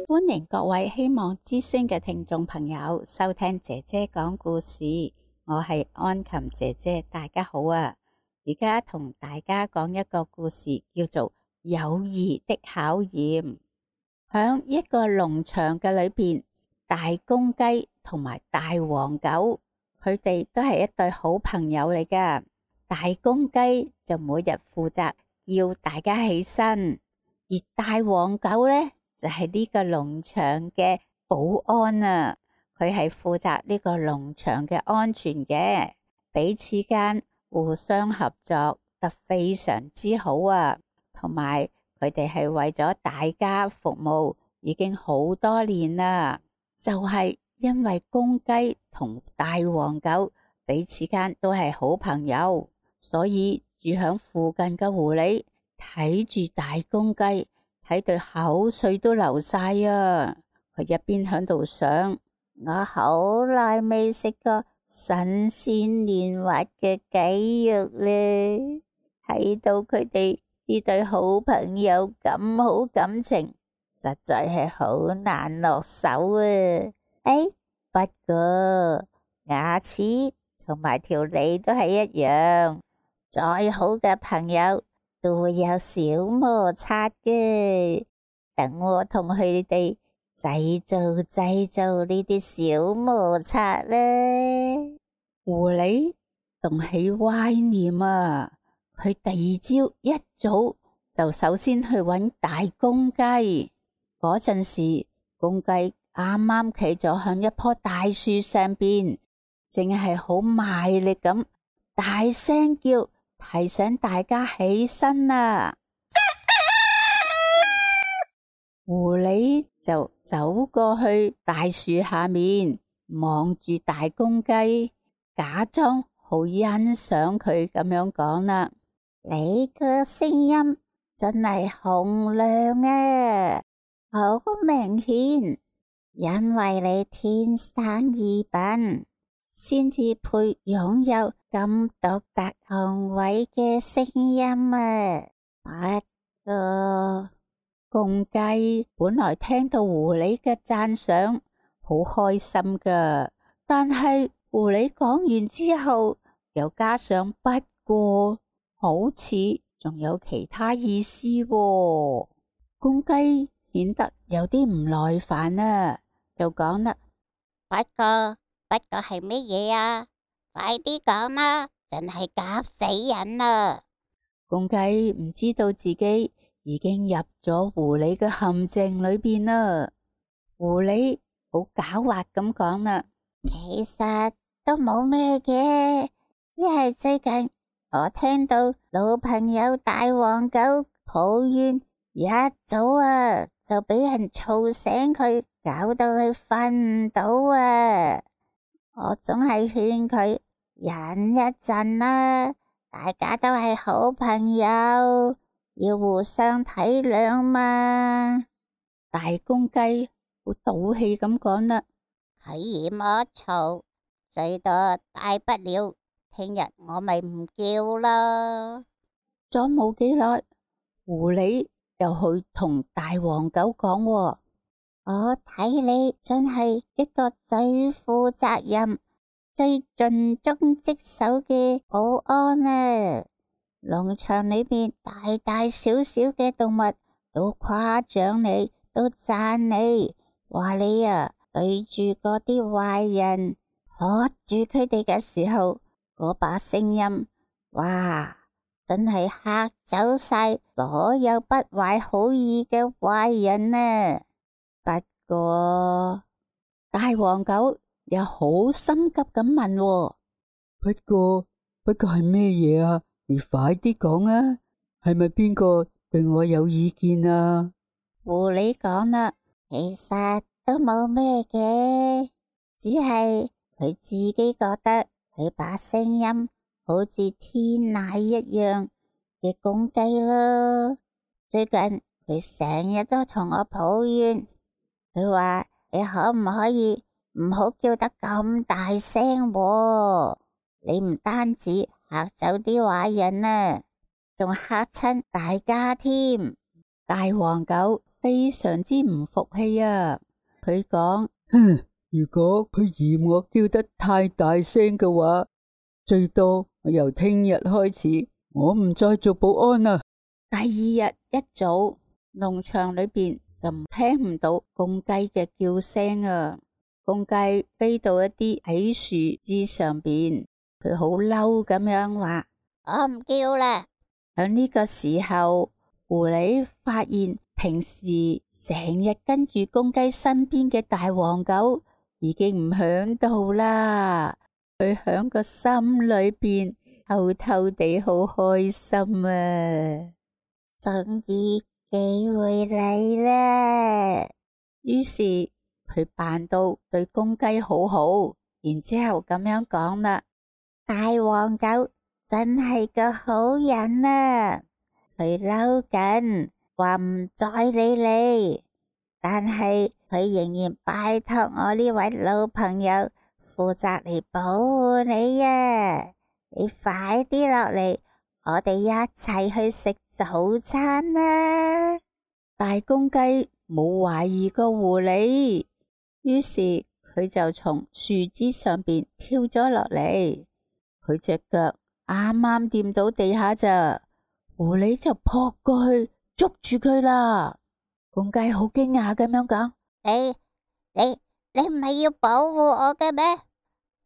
歡迎各位希望之聲嘅聽眾朋友收聽姐姐講故事，我係安琴姐姐，大家好啊！而家同大家講一個故事，叫做友誼的考驗。響一個農場嘅裏邊，大公雞同埋大黃狗，佢哋都係一對好朋友嚟噶。大公雞就每日負責叫大家起身，而大黃狗呢，就係呢個農場嘅保安啊，佢係負責呢個農場嘅安全嘅，彼此間互相合作得非常之好啊，同埋佢哋係為咗大家服務已經好多年啦。就係因為公雞同大黃狗彼此間都係好朋友，所以住響附近嘅狐狸睇住大公雞，睇到口水都流晒啊！佢一邊響度想，我好耐未食過新鮮嫩滑嘅雞肉咧，睇到佢哋呢對好朋友咁好感情，實在係好難落手啊！不過牙齒同埋條脷都係一樣，再好嘅朋友都會有小摩擦嘅。等我同佢哋製造呢啲小摩擦咧。狐狸動起歪念啊！佢第二朝一早就首先去搵大公雞。嗰陣時，公雞啱啱企咗響一棵大樹上邊，淨係好賣力咁大聲叫，提醒大家起身啊！狐狸就走過去大樹下面，望住大公雞，假裝好欣賞佢咁樣講啦：你個聲音真係洪亮啊，好明顯，因為你天生異稟，先至配擁有咁獨特雄偉嘅聲音啊！不過公雞本來聽到狐狸嘅讚賞，好開心噶，但係狐狸講完之後，又加上不過，好似仲有其他意思喎。公雞顯得有啲唔耐煩啊，就講啦：不過係乜嘢啊？快啲講啦，真係夾死人啦！公雞唔知道自己已經入咗狐狸嘅陷阱裏邊啦。狐狸好狡猾咁講啦：其實都冇咩嘅，只係最近我聽到老朋友大黃狗抱怨，一早啊就俾人嘈醒佢，搞到佢瞓唔到啊！我總係勸佢忍一陣啦，大家都係好朋友，要互相體諒嘛。大公雞好賭氣咁講啦：佢嫌我嘈，最多大不了聽日我咪唔叫啦。咗冇幾耐，狐狸又去同大黃狗講喎：我睇你真係一個最負責任、最盡忠職守嘅保安啊！農場裏邊大大小小嘅動物都誇獎你，都讚你，話你啊對住嗰啲壞人喝住佢哋嘅時候，嗰把聲音，哇，真係嚇走晒所有不懷好意嘅壞人啊！不過大黃狗又好心急咁問喎：不過係咩嘢啊？你快啲講啊！係咪邊個對我有意見啊？狐狸講啦：其實都冇咩嘅，只係佢自己覺得佢把聲音好似天籟一樣嘅公雞咯。最近佢成日都同我抱怨，佢話你可唔可以唔好叫得咁大聲喎？你唔單止嚇走啲壞人啊，仲嚇親大家添。大黃狗非常之唔服氣啊！佢講：如果佢嫌我叫得太大聲嘅話，最多我由聽日開始，我唔再做保安啦。第二日一早，農場裏邊就聽唔到公雞嘅叫聲啊！公雞飛到一啲矮樹枝上邊，佢好嬲咁樣話：我唔叫啦。喺呢個時候，狐狸發現平時成日跟住公雞身邊嘅大黃狗已經唔響度啦。佢響個心裏邊偷偷地好開心啊！終於機會嚟啦！於是佢扮到對公雞好好，然之後咁樣講啦：大黃狗真係個好人啊！佢嬲緊，話唔再理你，但係佢仍然拜託我呢位老朋友負責嚟保護你啊！你快啲落嚟，我哋一齊去食早餐啦！大公雞冇懷疑過狐狸，於是佢就從樹枝上邊跳咗落嚟，佢隻腳啱啱掂到地下咋。狐狸就撲過去捉住佢啦。公雞好驚訝咁樣講：你唔係要保護我嘅咩？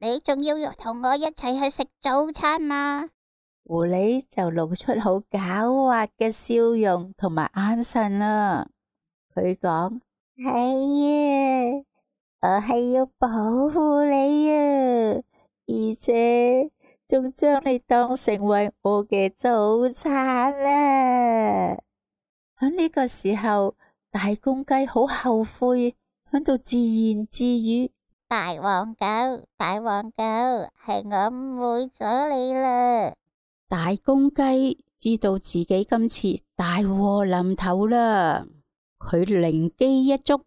你仲要同我一齊去食早餐嘛？狐狸就露出好狡猾嘅笑容同埋眼神啦。佢講：係啊，我係要保護你啊，而且仲將你當成為我嘅早餐啦。喺呢個時候，大公雞好後悔，喺度自言自語：大黃狗，係我誤會咗你啦。大公雞知道自己今次大禍臨頭啦，佢靈機一觸，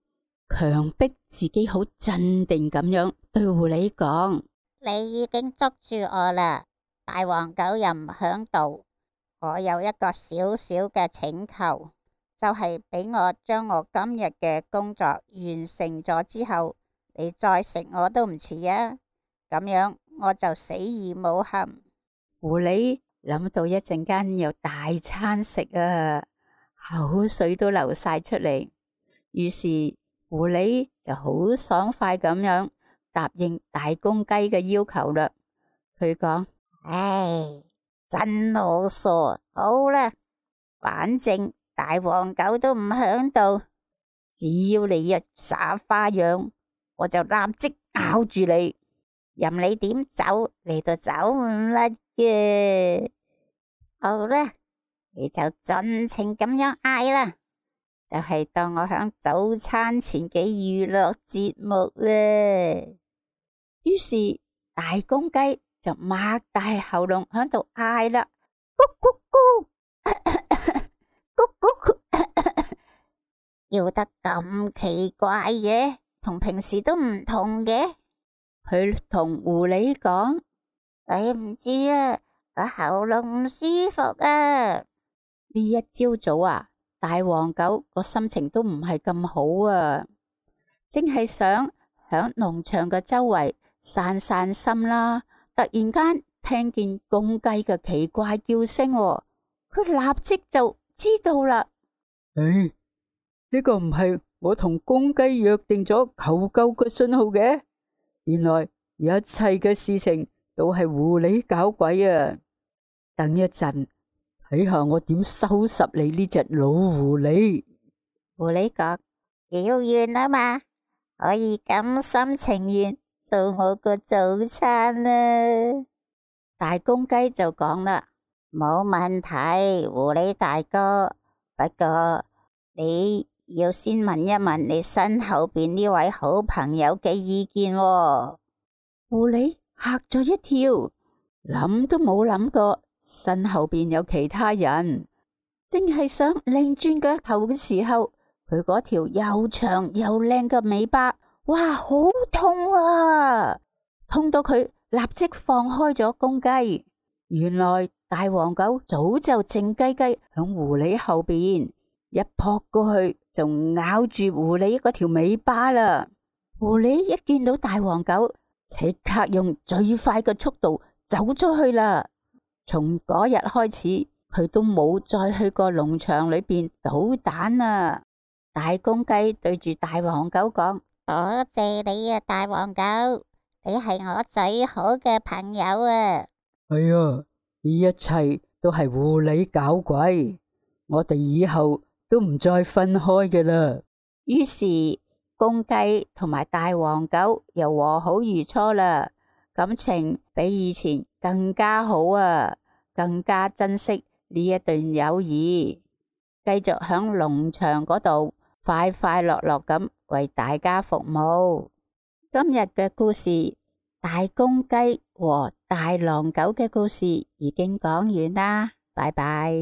強迫自己好鎮定咁樣對狐狸講：你已經捉住我啦，大黃狗又唔響度，我有一個小小嘅請求，就係俾我將我今日嘅工作完成咗之後，你再食我都唔遲啊，咁樣我就死而無憾。狐狸諗到一陣間有大餐食啊，口水都流晒出嚟，於是狐狸就好爽快咁樣答應大公雞嘅要求啦。佢講：唉，真好傻，好啦，反正大黃狗都唔響度，只要你一耍花樣，我就立即咬住你，任你點走，你都走唔甩嘅。好啦，你就盡情咁樣嗌啦，就係當我響早餐前嘅娛樂節目啦。於是大公雞就擘大喉嚨響度嗌啦：咕咕咕，咕咕咕，叫得咁奇怪嘅，同平時都唔同嘅。佢同狐狸講：對唔住啊，我喉嚨唔舒服啊。呢一朝早啊，大黃狗個心情都唔係咁好啊，正係想響農場嘅周圍散散心啦。突然間聽見公雞嘅奇怪叫聲，佢立即就知道啦。呢個唔係我同公雞約定咗求救嘅信號嘅，原來一切嘅事情都係狐狸搞鬼啊！等一陣睇下我點收拾你呢隻老狐狸。狐狸講：叫完啊嘛，可以甘心情願做我個早餐啦。大公雞就講啦：冇問題，狐狸大哥，不過你要先問一問你身後邊呢位好朋友嘅意見喎。狐狸嚇咗一跳，諗都冇諗過身後邊有其他人，正係想擰轉腳頭嘅時候，佢嗰條又長又靚嘅尾巴，哇，好痛啊！痛到佢立即放開咗公雞，原來大黃狗早就靜雞雞響狐狸後邊，一撲過去就咬住狐狸嗰條尾巴啦。狐狸一見到大黃狗，即刻用最快嘅速度走咗去啦。從嗰日開始，佢都冇再去過農場裏邊搗蛋啦。大公雞對住大黃狗講：多謝你啊，大黃狗，你係我最好嘅朋友啊！係啊，呢一切都係狐狸搞鬼，我哋以後都唔再分開嘅啦。於是公雞同埋大黃狗又和好如初啦，感情比以前更加好啊，更加珍惜呢一段友誼，繼續響農場嗰度快快樂樂咁為大家服務。今日嘅故事，大公雞和大狼狗嘅故事已經講完啦，拜拜。